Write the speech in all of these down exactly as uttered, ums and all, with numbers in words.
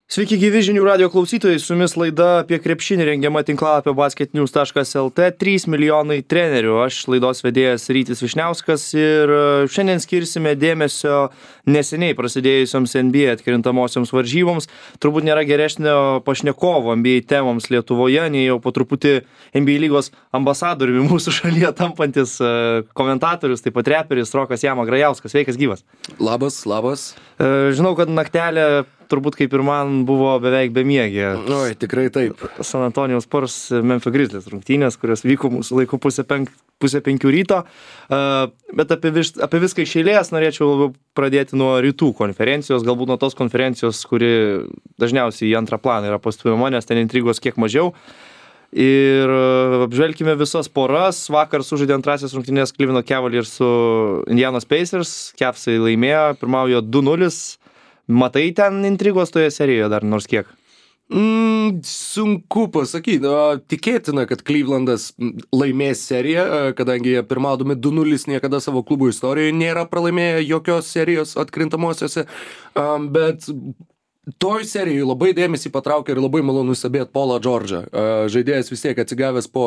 Sveiki gyvi žinių radio klausytojai, su jumis laida apie krepšinį rengiama tinklalapio basketnews taškas lt, trys milijonai trenerių. Aš laidos vedėjas Rytis Vyšniauskas ir šiandien skirsime dėmesio neseniai prasidėjusioms N B A atkrintamosioms varžyboms. Turbūt nėra geresnio pašnekovo N B A temoms Lietuvoje, nei jau po truputį N B A lygos ambasadoriumi mūsų šalyje tampantis komentatorius, taip pat reperis Rokas Jama Grajauskas. Sveikas gyvas. Labas, labas. Žinau, kad naktelė turbūt kaip ir man buvo beveik bemiegė. Oi, tikrai taip. San Antonijaus Spurs Memphis Grizzlies rungtynės, kurios vyko mūsų laiku pusę, penk, pusę penkių ryto. Uh, bet apie, vis, apie viską iš eilės norėčiau labiau pradėti nuo rytų konferencijos, galbūt nuo tos konferencijos, kuri dažniausiai į antrą planą yra pastumiama, nes ten intrigos kiek mažiau. Ir apžvelkime visas poras. Vakar sužaidė antrasis rungtynės Cleveland Cavaliers su Indianos Pacers. Cavsai laimėjo, pirmaujo du nulis. Matai ten intrigos toje serijoje dar nors kiek? Mm, sunku pasakyti. Tikėtina, kad Clevelandas laimės seriją, kadangi jie pirmaudami du nulis niekada savo klubų istorijoje nėra pralaimėję jokios serijos atkrintamosiose. Bet toj serijai labai dėmesį patraukė ir labai malonu stebėti Paulą Džordžą. Žaidėjas vis tiek atsigavęs po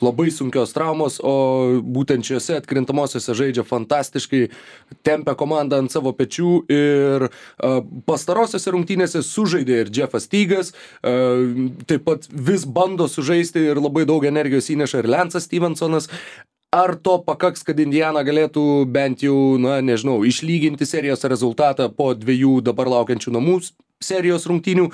labai sunkios traumos, o būtent šiuose atkrintamosiose žaidžia fantastiškai, tempia komandą ant savo pečių ir pastarosiose rungtynėse sužaidė ir Jeffas Teagas, taip pat vis bando sužaisti ir labai daug energijos įneša ir Lancas Stevensonas. Ar to pakaks, kad Indiana galėtų bent jau, na, nežinau, išlyginti serijos rezultatą po dviejų dabar laukiančių namų serijos rungtynių?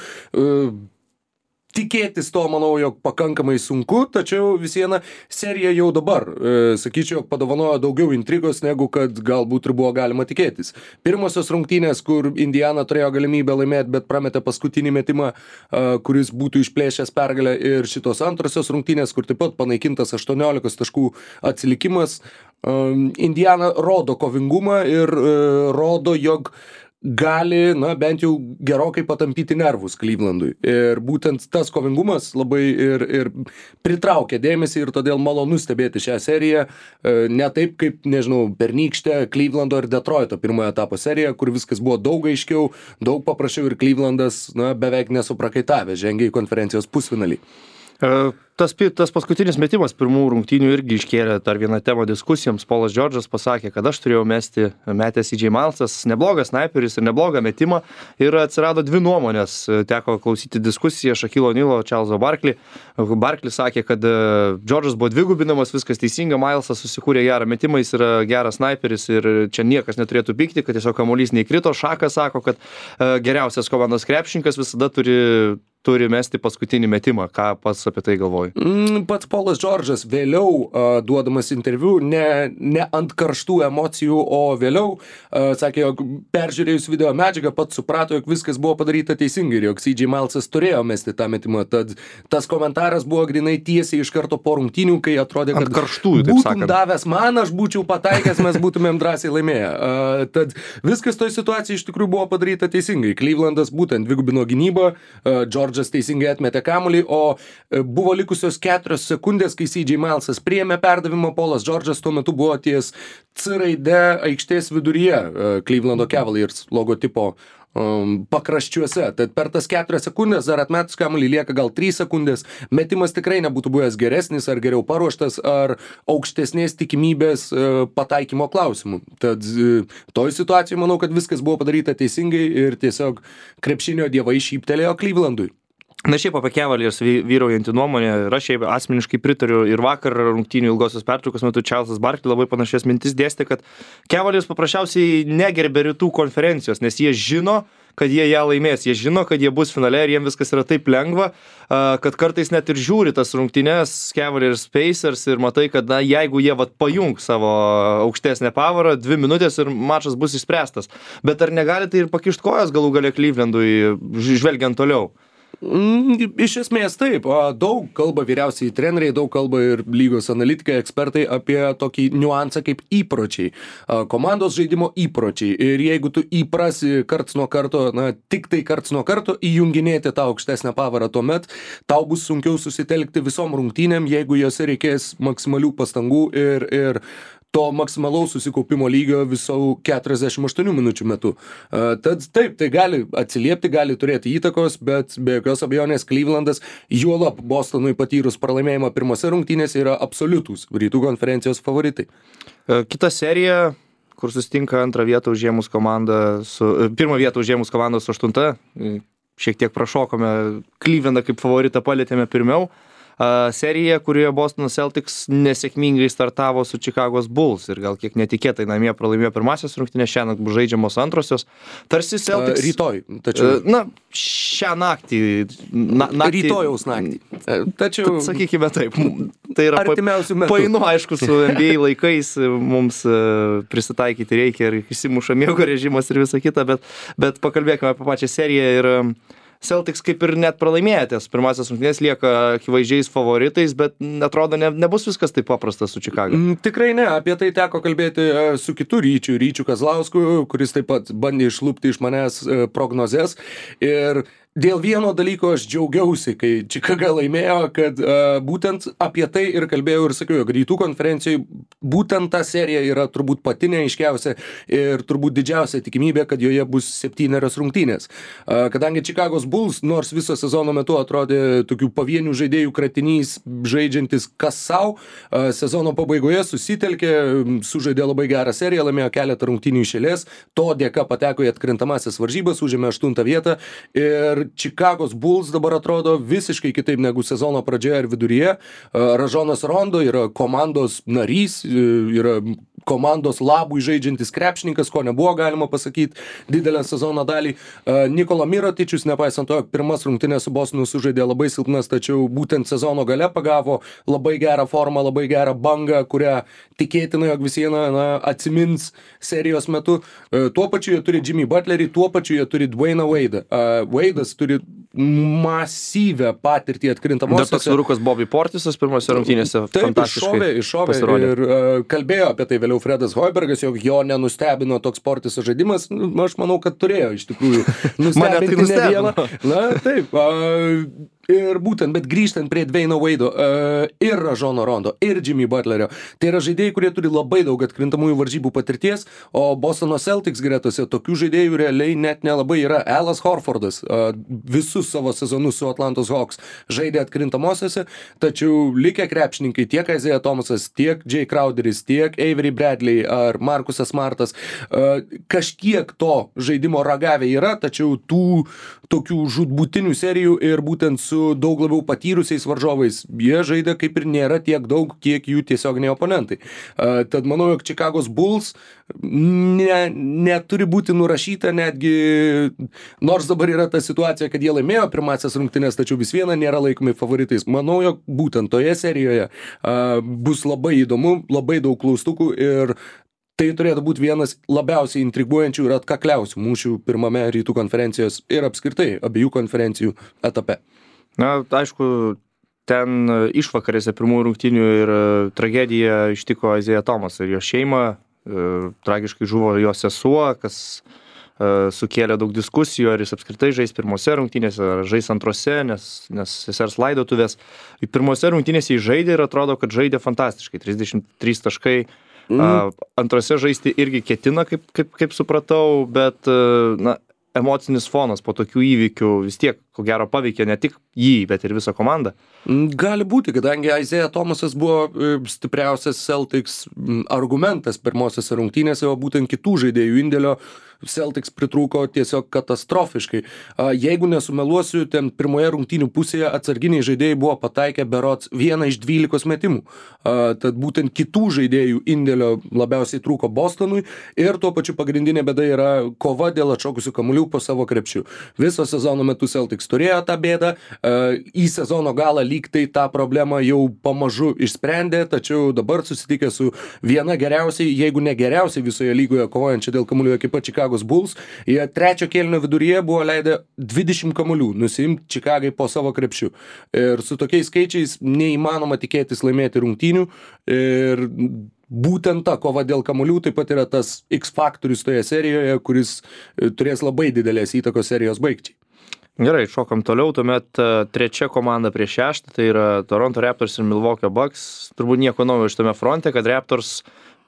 Tikėtis to, manau, jog pakankamai sunku, tačiau vis viena serija jau dabar, e, sakyčiau, padovanojo daugiau intrigos, negu kad galbūt ir buvo galima tikėtis. Pirmosios rungtynės, kur Indiana turėjo galimybę laimėti, bet prametė paskutinį metimą, e, kuris būtų išplėšęs pergalę, ir šitos antrosios rungtynės, kur taip pat panaikintas aštuoniolikos taškų atsilikimas. E, Indiana rodo kovingumą ir e, rodo, jog gali, na, bent jau gerokai patampyti nervus Clevelandui. Ir būtent tas kovingumas labai ir, ir pritraukia dėmesį ir todėl malonu stebėti šią seriją. Ne taip kaip, nežinau, pernykštę Clevelando ir Detroito pirmojo etapo seriją, kur viskas buvo daug aiškiau, daug paprasčiau ir Clevelandas, na, beveik nesuprakaitavęs žengė į konferencijos pusfinalį. Tas, tas paskutinis metimas pirmų rungtynių irgi iškėlė dar vieną temą diskusijoms. Paulas Džordžas pasakė, kad aš turėjau mesti, metęs C J Milesas, neblogas snaiperis ir neblogą metimą, ir atsirado dvi nuomonės. Teko klausyti diskusiją Shaquille O'Neal'o, Charleso Barkley. Barkley sakė, kad Džordžas buvo dvigubinamas, viskas teisinga, Milesas susikūrė gerą metimą, jis yra geras snaiperis ir čia niekas neturėtų pykti, kad tiesiog kamuolys neįkrito. Šakas sako, kad geriausias komandos krepšininkas visada turi turi mesti paskutinį metimą. Ką pats apie tai galvoji? Mm, pats Paulas Džordžas vėliau uh, duodamas interviu, ne, ne ant karštų emocijų, o vėliau uh, sakė, jog peržiūrėjus video medžiagą pats suprato, jog viskas buvo padaryta teisingai ir jog C J Milesas turėjo mesti tą metimą. Tad tas komentaras buvo grinai tiesiai iš karto po rungtynių, kai atrodė, kad ant karštųjų, taip sakant, būtum davęs man, aš būčiau pataikęs, mes būtumėm drąsiai laimėję. Uh, tad viskas toj situacijai iš tikrųjų buvo padaryta teisingai. Clevelandas būtent dvigubino gynybą, uh, Džordžas teisingai atmetė kamuolį, o buvo likusios keturios sekundės, kai C J Milesas priėmė perdavimą. Paulas Džordžas tuo metu buvo ties C raide aikštės viduryje Clevelando Cavaliers logotipo um, pakraščiuose. Tad per tas keturias sekundės dar atmetus kamuolį lieka gal trys sekundės. Metimas tikrai nebūtų buvęs geresnis ar geriau paruoštas ar aukštesnės tikimybės uh, pataikymo klausimų. Tad uh, toj situacijai manau, kad viskas buvo padaryta teisingai ir tiesiog krepšinio dievai šyptelėjo Clevelandui. Na šiaip apie Cavaliers vyraujantį nuomonę, ir aš šiaip asmeniškai pritariu, ir vakar rungtynių ilgosios pertraukos metu Charlesas Barkley labai panašias mintis dėstė, kad Cavaliers paprasčiausiai negerbė rytų konferencijos, nes jie žino, kad jie ją laimės, jie žino, kad jie bus finale ir jiems viskas yra taip lengva, kad kartais net ir žiūri tas rungtynes Cavaliers Pacers ir matai, kad na, jeigu jie vat pajung savo aukštesnę pavarą, dvi minutės ir mačas bus išspręstas. Bet ar negali tai ir pakišt kojas galų gale Clevelandui, žvelgiant toliau? Mm, iš esmės taip, daug kalba vyriausiai treneriai, daug kalba ir lygos analitikai, ekspertai apie tokį niuansą kaip įpročiai, komandos žaidimo įpročiai. Ir jeigu tu įprasi karts nuo karto, na, tik tai karts nuo karto įjunginėti tą aukštesnę pavarą, tuomet tau bus sunkiau susitelkti visom rungtynėm, jeigu jose reikės maksimalių pastangų ir, ir to maksimalaus susikaupimo lygio visų keturiasdešimt aštuonių minučių metu. Uh, tad taip, tai gali atsiliepti, gali turėti įtakos, bet be jokios abejonės Clevelandas, juolab Bostonui patyrus pralaimėjimą pirmose rungtynėse, yra absoliutūs rytų konferencijos favoritai. Kita serija, kur susitinka antrą vietą užėmus komandą su, pirmą vietą užėmus komandą su aštunta, šiek tiek prašokome, Clevelandą kaip favoritą palėtėme pirmiau. Serija, kurioje Boston Celtics nesėkmingai startavo su Chicago's Bulls ir gal kiek netikėtai namie pralaimėjo pirmasias rungtynės, šiąnakt bus žaidžiamos antrosios. Tarsi Celtics... Rytoj, tačiau... Na, šią naktį... Na, naktį Rytojaus naktį. Tačiau... Sakykime taip, tai yra artimiausių metų. Painu, aišku, su N B A laikais mums prisitaikyti reikia ir įsimuša miego režimas ir visa kita, bet, bet pakalbėkime apie pačią seriją ir... Celtics kaip ir net pralaimėjęs pirmasis rungtynės lieka akivaizdžiais favoritais, bet atrodo ne, nebus viskas taip paprasta su Chicago. Mm, tikrai ne, apie tai teko kalbėti su kitu Ryčiu, Ryčiu Kazlausku, kuris taip pat bandė išlupti iš manęs prognozes ir dėl vieno dalyko aš džiaugiausi, kai Chicago laimėjo, kad uh, būtent apie tai ir kalbėjau ir sakiau, jog rytų konferencijoje būtent ta serija yra turbūt pati neaiškiausia ir turbūt didžiausia tikimybė, kad joje bus septynerios rungtynės. Uh, kadangi Chicago's Bulls nors viso sezono metu atrodė tokių pavienių žaidėjų kratinys, žaidžiantis kas sau, uh, sezono pabaigoje susitelkė, sužaidė labai gerą seriją, laimėjo keletą rungtynių iš eilės, to dėka pateko į atkrintamąsias varžybas, užėmė aštuntą vietą ir Chicago's Bulls dabar atrodo visiškai kitaip negu sezono pradžioje ir viduryje. Rajonas Rondo yra komandos narys, yra komandos labui žaidžiantis krepšininkas, ko nebuvo galima pasakyti didelę sezono dalį. Nikola Mirotičius, nepaisant to, pirmas rungtynės su Bostonu sužaidė labai silpnas, tačiau būtent sezono gale pagavo labai gerą formą, labai gerą bangą, kurią tikėtina, jog vis viena na, atsimins serijos metu. Tuo pačiu jie turi Jimmy Butlerį, tuo pačiu jie turi Dwayne Wade'ą. Wade'as turi masyvę patirtį atkrintamosiose. Dar toks vyrukas Bobby Portisas pirmose rungtynėse fantastiškai iššovė, iššovė pasirodė. Ir uh, kalbėjo apie tai vėliau Fredas Hoibergas, jog jo nenustebino toks Portiso žaidimas. Nu, aš manau, kad turėjo iš tikrųjų nustebinti ne vieną. Na, taip. Uh, Ir būtent, bet grįžtant prie Dwayne Wade'o uh, ir Rajono Rondo ir Jimmy Butlerio, tai yra žaidėjai, kurie turi labai daug atkrintamųjų varžybų patirties, o Bostono Celtics gretose tokių žaidėjų realiai net nelabai yra. Alas Horfordas uh, visus savo sezonus su Atlantos Hawks žaidė atkrintamosiose, tačiau likę krepšininkai tiek Isaiah Thomasas, tiek Jay Crowderis, tiek Avery Bradley ar Marcusas Smartas uh, kažkiek to žaidimo ragavę yra, tačiau tų tokių žūtbūtinių serijų ir būtent su daug labiau patyrusiais varžovais jie žaidė kaip ir nėra tiek daug, kiek jų tiesioginiai oponentai. Uh, tad manau, jog Chicago's Bulls ne, neturi būti nurašyta netgi, nors dabar yra ta situacija, kad jie laimėjo pirmąsias rungtynes, tačiau vis viena nėra laikomi favoritais. Manau, jog būtent toje serijoje uh, bus labai įdomu, labai daug klaustukų ir tai turėtų būti vienas labiausiai intriguojančių ir atkakliausių mūšių pirmame rytų konferencijos ir apskritai abiejų konferencijų etape. Na, aišku, ten išvakarėse pirmųjų rungtynių ir tragedija ištiko Isaiah Thomasą ir jo šeimą. Tragiškai žuvo jo sesuo, kas sukėlė daug diskusijų, ar jis apskritai žais pirmose rungtynėse, ar žais antrose, nes, nes sesers laidotuvės. Pirmose rungtynėse jis žaidė ir atrodo, kad žaidė fantastiškai. trisdešimt trys taškai. Mm. Antrose žaisti irgi ketina, kaip, kaip, kaip supratau, bet na, emocinis fonas po tokių įvykių vis tiek, ko gero, paveikė ne tik jį, bet ir visą komandą. Gali būti, kadangi Isaiah Thomasas buvo stipriausias Celtics argumentas pirmosiose rungtynėse, o būtent kitų žaidėjų indėlio Celtics pritrūko tiesiog katastrofiškai. Jeigu nesumeluosiu, ten pirmoje rungtynių pusėje atsarginiai žaidėjai buvo pataikę berods vieną iš dvylikos metimų. Tad būtent kitų žaidėjų indėlio labiausiai trūko Bostonui ir tuo pačiu pagrindinė bėda yra kova dėl atšokusių kamuolių po savo krepšiu. Viso sezono metu Celtics turėjo tą bėdą, į sezono galą lyg tai tą problemą jau pamažu išsprendė, tačiau dabar susitikę su viena geriausiai, jeigu ne geriausiai visoje lygoje kovojančia dėl kamuolių ekipa Chicago's Bulls, jie trečio kėlinio viduryje buvo leidę dvidešimt kamuolių nusiimti Chicagai po savo krepšiu. Ir su tokiais skaičiais neįmanoma tikėtis laimėti rungtynių ir būtent ta kova dėl kamuolių taip pat yra tas X faktorius toje serijoje, kuris turės labai didelės įtakos serijos baigčiai. Gerai, šokam toliau, tuomet trečia komanda prieš šeštą, tai yra Toronto Raptors ir Milwaukee Bucks. Turbūt nieko naujo iš tame fronte, kad Raptors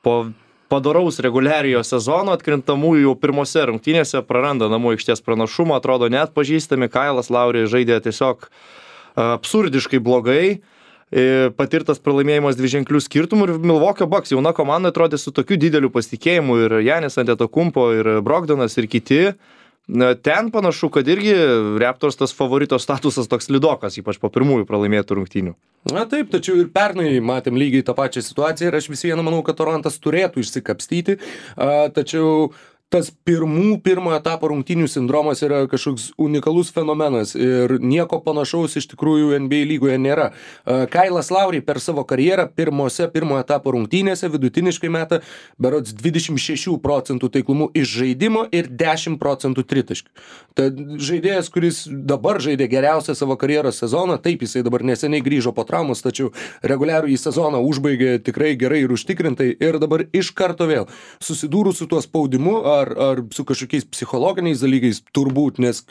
po padoraus reguliariojo sezono atkrintamųjų jau pirmose rungtynėse praranda namų aikštės pranašumą, atrodo neatpažįstami, Kailas Lauri žaidė tiesiog absurdiškai blogai, patirtas pralaimėjimas dviženklių skirtumų ir Milwaukee Bucks jauna komanda atrodė su tokiu dideliu pasitikėjimu ir Janis Antetokounmpo ir Brogdonas ir kiti. Ten panašu, kad irgi Raptors tas favorito statusas toks lidokas, ypač po pirmųjų pralaimėtų rungtynių. Na taip, tačiau ir pernai matėm lygiai tą pačią situaciją ir aš vis viena manau, kad Torontas turėtų išsikapstyti, a, tačiau tas pirmų, pirmo etapo rungtynių sindromas yra kažkoks unikalus fenomenas ir nieko panašaus iš tikrųjų N B A lygoje nėra. Kailas Lauri per savo karjerą pirmose pirmo etapo rungtynėse vidutiniškai meta berods dvidešimt šešių procentų taiklumu iš žaidimo ir dešimt procentų tritaškių. Tad žaidėjas, kuris dabar žaidė geriausią savo karjeros sezoną, taip jisai dabar neseniai grįžo po traumos, tačiau reguliarų į sezoną užbaigė tikrai gerai ir užtikrintai ir dabar iš karto vėl susidūrus su tuo spaudimu ar, ar su kažkokiais psichologiniais dalykais turbūt, nes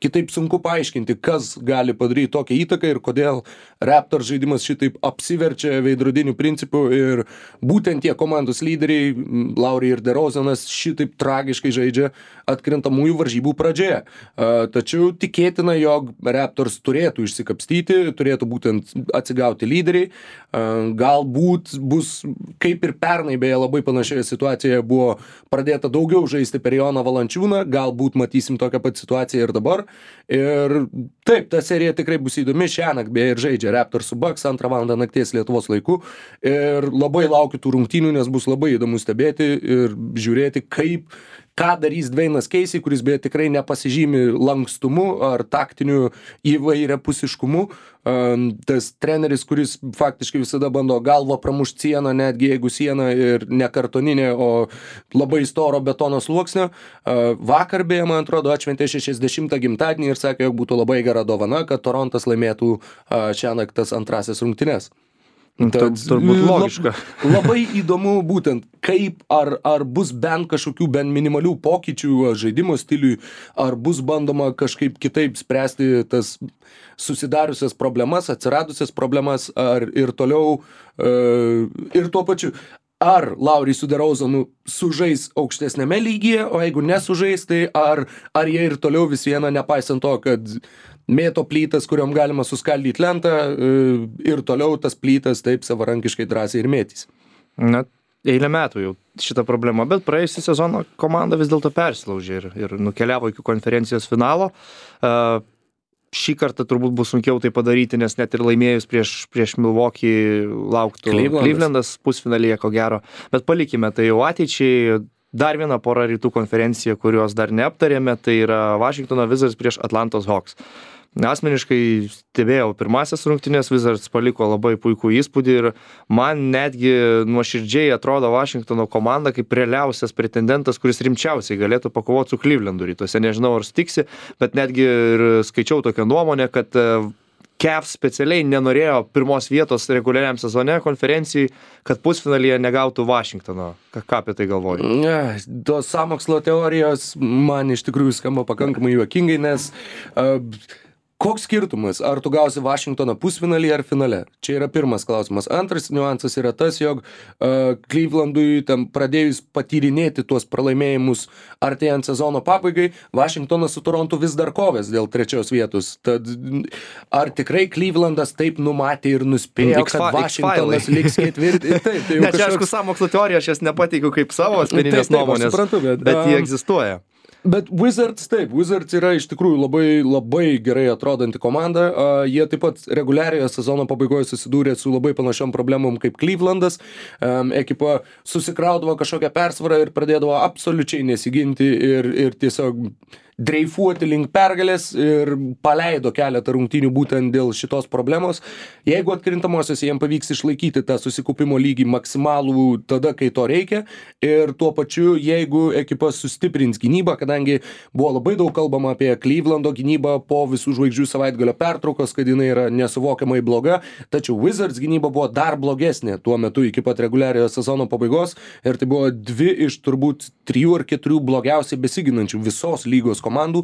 kitaip sunku paaiškinti, kas gali padaryti tokią įtaką ir kodėl Raptors žaidimas šitaip apsiverčia veidrodiniu principu ir būtent tie komandos lyderiai, Lauri ir DeRozanas, šitaip tragiškai žaidžia atkrintamųjų varžybų pradžioje. Tačiau tikėtina, jog Raptors turėtų išsikapstyti, turėtų būtent atsigauti lyderiai. Galbūt bus, kaip ir pernai, beje, labai panašioje situacijoje buvo pradėta daugiau žaisti per Joną Valančiūną, galbūt matysim tokią pat situaciją ir dabar. Ir taip, ta serija tikrai bus įdomi, šiąnakt beje ir žaidžia Raptors su Bucks antrą valandą nakties Lietuvos laiku. Ir labai laukiu tų rungtynių, nes bus labai įdomu stebėti ir žiūrėti, kaip ką darys Dwaynas Casey, kuris beje tikrai nepasižymi lankstumu ar taktiniu įvairiapusiškumu. Tas treneris, kuris faktiškai visada bando galvą pramušti sieną, netgi jeigu siena ir ne kartoninė, o labai storo betono sluoksnio. Vakar beje, man atrodo, atšventė šešiasdešimtą gimtadienį ir sakė, jog būtų labai gera dovana, kad Torontas laimėtų šiąnakt tas antrasias rungtynes. Tad, turbūt logiška. Lab, labai įdomu būtent, kaip ar, ar bus bent kažkokių bent minimalių pokyčių žaidimo stiliui, ar bus bandoma kažkaip kitaip spręsti tas susidariusias problemas, atsiradusias problemas, ar ir toliau, uh, ir tuo pačiu. Ar Lauri su DeRozanu sužais aukštesnėme lygyje, o jeigu nesužais, tai ar, ar jie ir toliau vis viena, nepaisant to, kad mėto plytas, kuriuom galima suskaldyti lentą, ir toliau tas plytas taip savarankiškai drąsiai ir mėtys. Na, eilę metų jau šitą problemą, bet praėjusį sezoną komanda vis dėlto persilaužė ir, ir nukeliavo iki konferencijos finalo. Uh, Šį kartą turbūt bus sunkiau tai padaryti, nes net ir laimėjus prieš, prieš Milwaukee lauktų Clevelandas. Clevelandas pusfinalyje, ko gero. Bet palikime tai jau ateičiai. Dar viena pora rytų konferencija, kurios dar neaptarėme, tai yra Washingtono Wizards prieš Atlantos Hawks. Asmeniškai stebėjau pirmasias rungtynės, Wizards paliko labai puikų įspūdį ir man netgi nuoširdžiai atrodo Washingtono komanda kaip realiausias pretendentas, kuris rimčiausiai galėtų pakovoti su Clevelandu rytuose. Nežinau, ar stiksi, bet netgi ir skaičiau tokią nuomonę, kad Cavs specialiai nenorėjo pirmos vietos reguliariam sezone konferencijai, kad pusfinalyje negautų Washingtono. Ką, ką apie tai galvoju? Ne, tos sąmokslo teorijos man iš tikrųjų skamba pakankamai juokingai, nes uh, koks skirtumas, ar tu gausi Washingtoną pusfinalį ar finale? Čia yra pirmas klausimas. Antras niuansas yra tas, jog uh, Clevelandui tam pradėjus patyrinėti tuos pralaimėjimus artėjant sezono pabaigai, Washingtonas su Torontu vis dar kovės dėl trečios vietos. Tad ar tikrai Clevelandas taip numatė ir nuspėjo, kad Washingtonas liks ketvirti? Taip, tai ne, čia kažkoks... aišku, sąmokslo teorija, aš jas nepateikiu kaip savo asmeninės nuomonės, suprantu, bet, bet jie egzistuoja. Bet Wizards, taip, Wizards yra iš tikrųjų labai, labai gerai atrodanti komanda. Uh, jie taip pat reguliariojo sezono pabaigoje susidūrė su labai panašiom problemom kaip Clevelandas. Um, ekipa susikraudavo kažkokią persvarą ir pradėdavo absoliučiai nesiginti ir, ir tiesiog dreifuoti link pergalės ir paleido keletą rungtynių būtent dėl šitos problemos. Jeigu atkrintamosios jiem pavyks išlaikyti tą susikaupimo lygį maksimalų tada, kai to reikia, ir tuo pačiu, jeigu ekipa sustiprins gynybą, kadangi buvo labai daug kalbama apie Clevelando gynybą po visų žvaigždžių savaitgalio pertraukos, kad jinai yra nesuvokiamai bloga, tačiau Wizards gynyba buvo dar blogesnė tuo metu iki pat reguliariojo sezono pabaigos ir tai buvo dvi iš turbūt trijų ar keturių blogiausiai besiginančių visos lygos komandų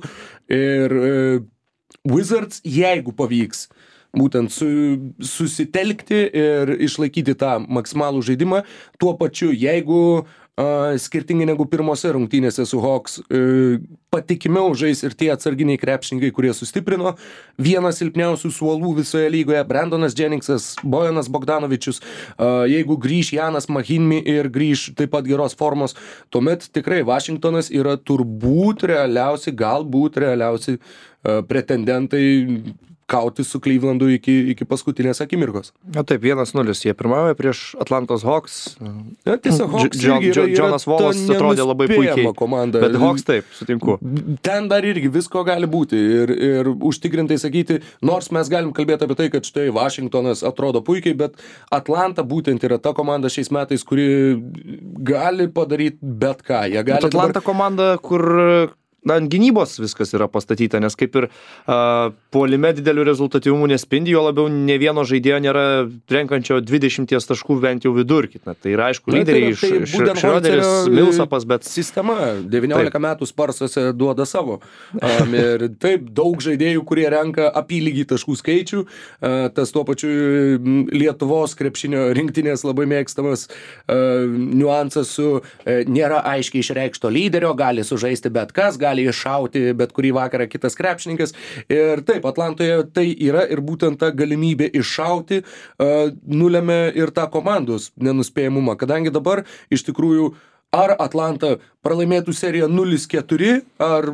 ir e, Wizards, jeigu pavyks būtent su, susitelkti ir išlaikyti tą maksimalų žaidimą. Tuo pačiu, jeigu Uh, skirtingai negu pirmose rungtynėse su Hawks, uh, patikimiau žais ir tie atsarginiai krepšininkai, kurie sustiprino. Vienas silpniausių suolų visoje lygoje, Brandonas Jenningsas, Bojanas Bogdanovičius, uh, jeigu grįš Janas Mahinmi ir grįš taip pat geros formos, tuomet tikrai Vašingtonas yra turbūt realiausi, galbūt realiausi uh, pretendentai kauti su Clevelandu iki, iki paskutinės akimirkos. Na taip, vienas nulis. Jie pirmauja prieš Atlantos Hawks. Ja, tiesiog Hawks Dž- irgi yra, yra Jonas Wallas atrodė labai puikiai. Komanda. Bet Hawks taip, sutinku. Ten dar irgi visko gali būti ir, ir užtikrintai sakyti, nors mes galim kalbėti apie tai, kad štai Vašingtonas atrodo puikiai, bet Atlanta būtent yra ta komanda šiais metais, kuri gali padaryti bet ką. Jie gali Atlanta dabar... komanda, kur na, ant gynybos viskas yra pastatyta, nes kaip ir uh, puolime didelių rezultatyvumų nespindi, jo labiau ne vieno žaidėjo nėra renkančio dvidešimt taškų bent jau vidurkį. Na, tai yra aišku, lyderiai iš tai Šrioderis, Milsapas, bet... Sistema devyniolika metų Sparsuose duoda savo. Um, ir taip, daug žaidėjų, kurie renka apylygį taškų skaičių. Uh, tas tuo pačiu Lietuvos krepšinio rinktinės labai mėgstamas uh, niuansas su uh, nėra aiškiai išreikšto lyderio, gali sužaisti bet kas, gali iššauti bet kurį vakarą kitas krepšininkas. Ir taip, Atlantoje tai yra ir būtent ta galimybė iššauti uh, nulemia ir tą komandos nenuspėjamumą, kadangi dabar iš tikrųjų ar Atlanta pralaimėtų seriją nulis keturi, ar,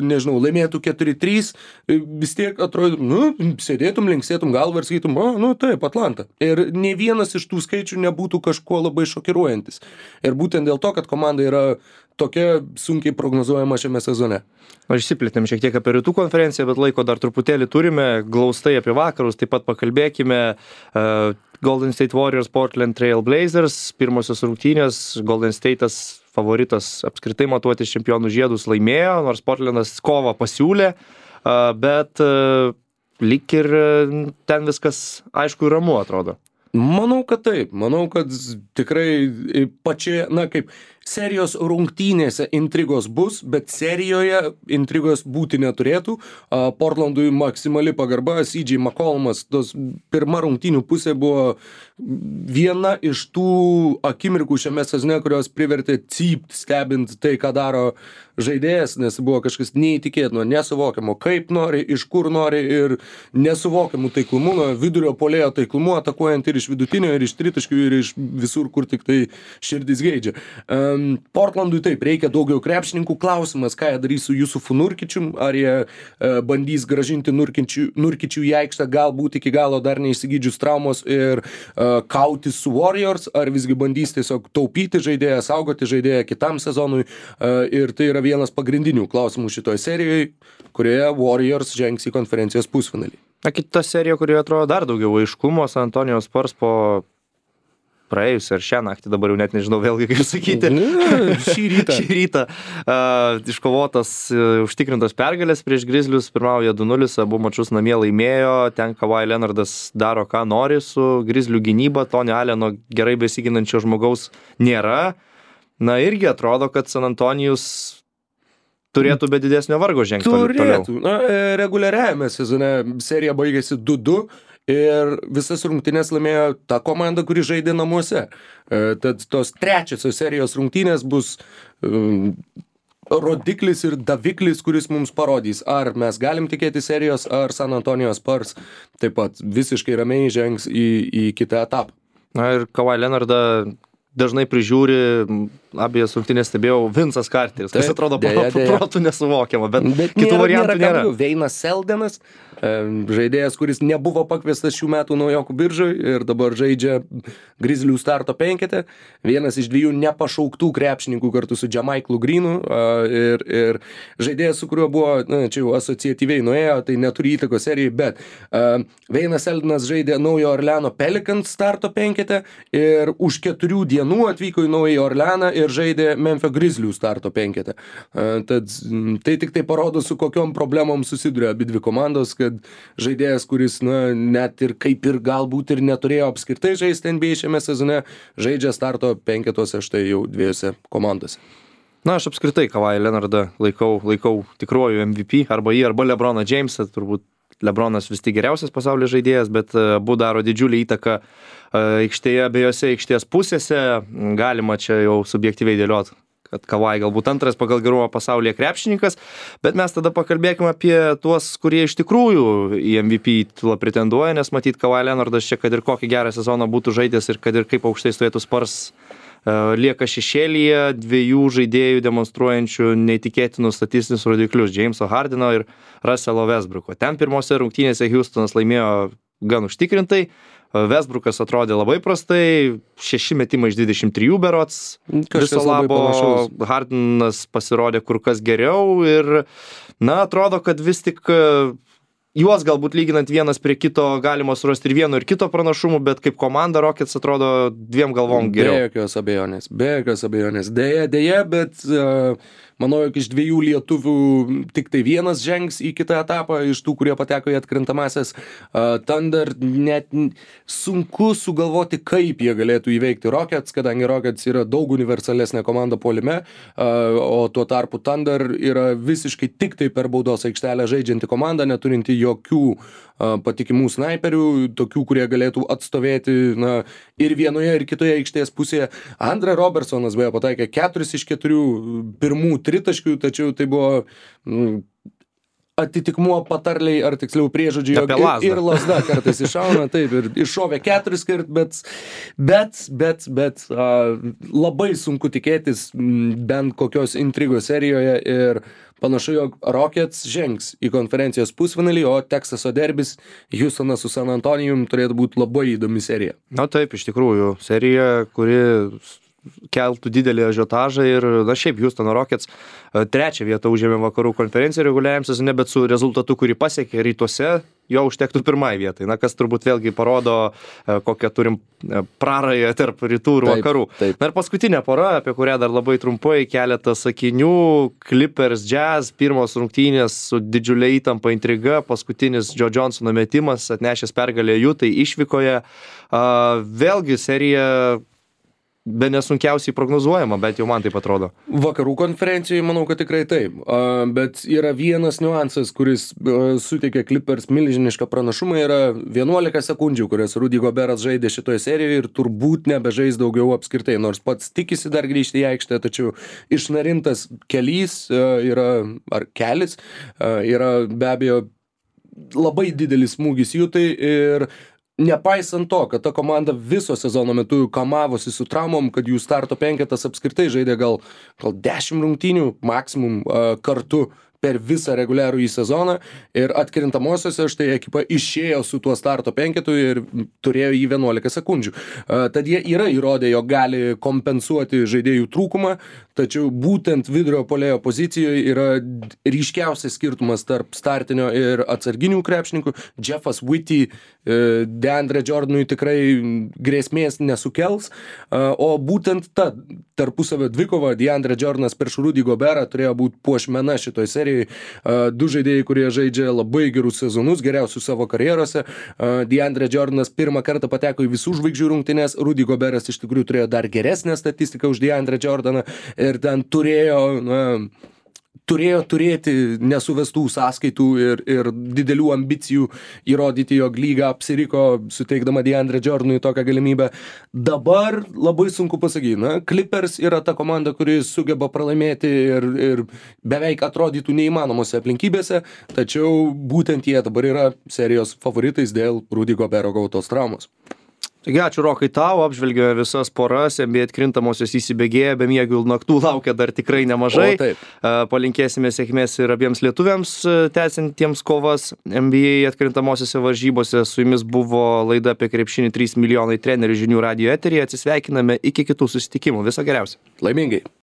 nežinau, laimėtų keturi trys, vis tiek atrodo, nu, sėdėtum, linksėtum galvą ir sakytum, o, nu, taip, Atlanta. Ir ne vienas iš tų skaičių nebūtų kažkuo labai šokiruojantis. Ir būtent dėl to, kad komanda yra tokia sunkiai prognozuojama šiame sezone. O išsiplėtėm šiek tiek apie rytų konferenciją, bet laiko dar truputėlį turime, glaustai apie vakarus, taip pat pakalbėkime. Uh, Golden State Warriors, Portland Trail Blazers, pirmosios rungtynės, Golden State'as favoritas apskritai matuotis čempionų žiedus laimėjo, nors Portlandas kovą pasiūlė, uh, bet uh, lyg ir uh, ten viskas aišku ir ramu atrodo. Manau, kad taip. Manau, kad tikrai pačioje, na kaip, serijos rungtynėse intrigos bus, bet serijoje intrigos būti neturėtų. Portlandui maksimali pagarba, C J McCollumas, tos pirma rungtynių pusė buvo viena iš tų akimirkų šiame sezone, kurios privertė cypt stebint tai, ką daro žaidėjas, nes buvo kažkas neįtikėtino, nesuvokiamo, kaip nori, iš kur nori ir nesuvokiamų taiklumų, nuo vidurio puolėjo taiklumų, atakuojant ir iš vidutinio, ir iš tritaškių, ir iš visur, kur tik tai širdis geidžia. Um, Portlandui taip, reikia daugiau krepšininkų. Klausimas, ką jie darys su Jusufu Nurkičium, ar jie uh, bandys gražinti Nurkičių, Nurkičių į aikštę, galbūt iki galo dar neįsigydžius traumos ir uh, kautis su Warriors, ar visgi bandys tiesiog taupyti žaidėją, saugoti žaidėją kitam sezonui, uh, ir tai yra vienas pagrindinių klausimų šitoje serijoje, kurioje Warriors žengs į konferencijos pusfinalį. Na, kita serija, kurioje atrodo dar daugiau aiškumo, San Antonijos Spurs po praėjusią ar šią naktį, dabar jau net nežinau vėlgi kaip sakyti. Ne, šį rytą. šį rytą uh, iškovotas, uh, užtikrintos pergalės prieš Grizzlius, pirmauja du nulis, abu mačus namie laimėjo, ten Kawhi Leonardas daro ką nori su Grizzlių gynyba, Tonio Alleno gerai besiginančio žmogaus nėra. Na irgi atrodo, kad San Antonijus turėtų be didesnio vargo žengti toliau. Turėtų. Na, reguliariajame sezone serija baigėsi du du ir visas rungtynės laimėjo ta komanda, kuri žaidė namuose. Tad tos trečiosios serijos rungtynės bus um, rodiklis ir daviklis, kuris mums parodys, ar mes galim tikėti serijos, ar San Antonijos Spurs taip pat visiškai ramiai žengs į, į kitą etapą. Na ir Kawhi Leonardą dažnai prižiūri, abiejas rungtynės stebėjau, Vincas Carteris, kas atrodo dėja, dėja. protų nesuvokiama, bet, bet kitų nėra, variantų nėra. nėra. Veinas Seldenas, žaidėjas, kuris nebuvo pakviestas šių metų naujokų biržai ir dabar žaidžia Grizzlių starto penkete, vienas iš dviejų nepašauktų krepšininkų kartu su Jamaiklu Greenu ir, ir žaidėjas, su kuriuo buvo, na, čia jau asociatyviai nuėjo, tai neturi įtakos serijai, bet uh, Veinas Seldenas žaidė Naujo Orleano Pelicans starto penkete ir už keturių dienų atvyko į Naują Orleaną ir žaidė Memphio Grizzlių starto penkete. Uh, tad tai tik tai parodo, su kokiom problemom susiduria abidvi komandos, kad žaidėjas, kuris, na, net ir kaip ir galbūt ir neturėjo apskritai žaisti N B A šiame sezone, žaidžia starto penketuose štai jau dviejose komandose. Na, aš apskritai Kawhi Leonardą laikau, laikau tikruoju M V P, arba jį, arba LeBroną Jamesą, turbūt LeBronas vis tik geriausias pasaulio žaidėjas, bet abu daro didžiulį įtaką aikštėje, abiejose aikštės pusėse. Galima čia jau subjektyviai dėlioti, kad Kawhi galbūt antras pagal gerumą pasaulyje krepšininkas, bet mes tada pakalbėkime apie tuos, kurie iš tikrųjų į M V P titulą pretenduoja, nes matyt Kawhi Leonardas čia, kad ir kokį gerą sezoną būtų žaidęs ir kad ir kaip aukštai stovėtų Spurs, lieka šešėlyje dviejų žaidėjų demonstruojančių neįtikėtinus statistinius rodiklius – Jameso Hardeno ir Russello Westbrooko. Ten pirmose rungtynėse Houstonas laimėjo gan užtikrintai, Westbrookas atrodė labai prastai, šeši metimai iš dvidešimt trijų berods, viso labo Hardenas pasirodė kur kas geriau ir, na, atrodo, kad vis tik juos galbūt lyginant vienas prie kito galima surasti ir vieno ir kito pranašumų, bet kaip komanda Rockets atrodo dviem galvom geriau. Be jokios abejonės, be jokios abejonės. Deja, deja, bet uh, manau, jog iš dviejų lietuvių tik tai vienas žengs į kitą etapą, iš tų, kurie pateko į atkrintamąsias. Uh, Thunder net sunku sugalvoti, kaip jie galėtų įveikti Rockets, kadangi Rockets yra daug universalesnė komanda puolime, uh, o tuo tarpu Thunder yra visiškai tik tai per baudos aikštelę žaidžianti komanda, neturinti jokių uh, patikimų snaiperių, tokių, kurie galėtų atstovėti na, ir vienoje, ir kitoje aikštės pusėje. Andre Robertsonas beje pataikė keturis iš keturių pirmų tritaškių, tačiau tai buvo mm, atitikmuo patarliai, ar tiksliau priežodžiai, jog ir, ir lasda kartais iššauna, taip, ir iššovė keturis kart, bet, bet, bet, bet uh, labai sunku tikėtis m, bent kokios intrigos serijoje ir panašu, jog Rockets žengs į konferencijos pusfinalį, o Teksaso derbis Houstonas su San Antonijum turėtų būti labai įdomi serija. Na taip, iš tikrųjų, serija, kuri keltų didelį ažiotažą ir, na šiaip, Houstono Rockets trečią vietą užėmė vakarų konferenciją reguliariam sezone, bet su rezultatu, kurį pasiekė rytuose, jo užtektų pirmai vietai. Na, kas turbūt vėlgi parodo, kokią turim prarąją tarp rytų ir vakarų. Taip, taip. Na ir paskutinė pora, apie kurią dar labai trumpai keletą sakinių. Clippers Jazz, pirmos rungtynės su didžiulė įtampa intriga, paskutinis Joe Johnsono metimas, atnešęs pergalę Jutai išvykoje. Vėlgi serija be nesunkiausiai prognozuojama, bet jau man taip atrodo. Vakarų konferencijoje manau, kad tikrai taip, uh, bet yra vienas niuansas, kuris uh, suteikia Clippers milžinišką pranašumą, yra vienuolika sekundžių, kurias Rudy Goberas žaidė šitoje serijoje ir turbūt nebežais daugiau apskritai, nors pats tikisi dar grįžti į aikštę, tačiau išnarintas kelys uh, yra, ar kelis, uh, yra be abejo labai didelis smūgis Jutai ir nepaisant to, kad ta komanda viso sezono metu kamavosi su traumom, kad jų starto penketas apskritai žaidė gal, gal dešimt rungtynių maksimum uh, kartu per visą reguliarų į sezoną ir atkrintamosiose štai ekipa išėjo su tuo starto penketu ir turėjo jį vienuolika sekundžių. Uh, tad jie yra įrodę, jog gali kompensuoti žaidėjų trūkumą, tačiau būtent vidurio puolėjo pozicijoje yra ryškiausias skirtumas tarp startinio ir atsarginių krepšininkų. Jeffas Whitty uh, DeAndre Jordanui tikrai grėsmės nesukels, uh, o būtent ta tarpusavio dvikova DeAndre Jordanas prieš Rudy Goberą turėjo būti puošmena šitoj serijai. Du žaidėjai, kurie žaidžia labai gerus sezonus, geriausius savo karjerose. DeAndre Jordanas pirmą kartą pateko į visų žvaigždžių rungtynes, Rudy Goberas iš tikrųjų turėjo dar geresnę statistiką už DeAndre Jordaną ir ten turėjo, na, turėjo turėti nesuvestų sąskaitų ir, ir didelių ambicijų įrodyti, jog lyga apsiriko, suteikdama DeAndre Jordanui tokią galimybę. Dabar labai sunku pasakyti, na, Clippers yra ta komanda, kuri sugeba pralaimėti ir, ir beveik atrodytų neįmanomose aplinkybėse, tačiau būtent jie dabar yra serijos favoritais dėl Rudy Gobero gautos traumos. Taigi, ačiū Rokai tau, apžvelgėme visas poras, N B A atkrintamosios įsibėgėja, be miegių naktų laukia dar tikrai nemažai. O, taip. Palinkėsime sėkmės ir abiems lietuviams tęsiantiems kovas N B A atkrintamosiose varžybose. Su jumis buvo laida apie krepšinį trys milijonai trenerių žinių radijo eteryje. Atsisveikiname iki kitų susitikimų. Viso geriausio. Laimingai.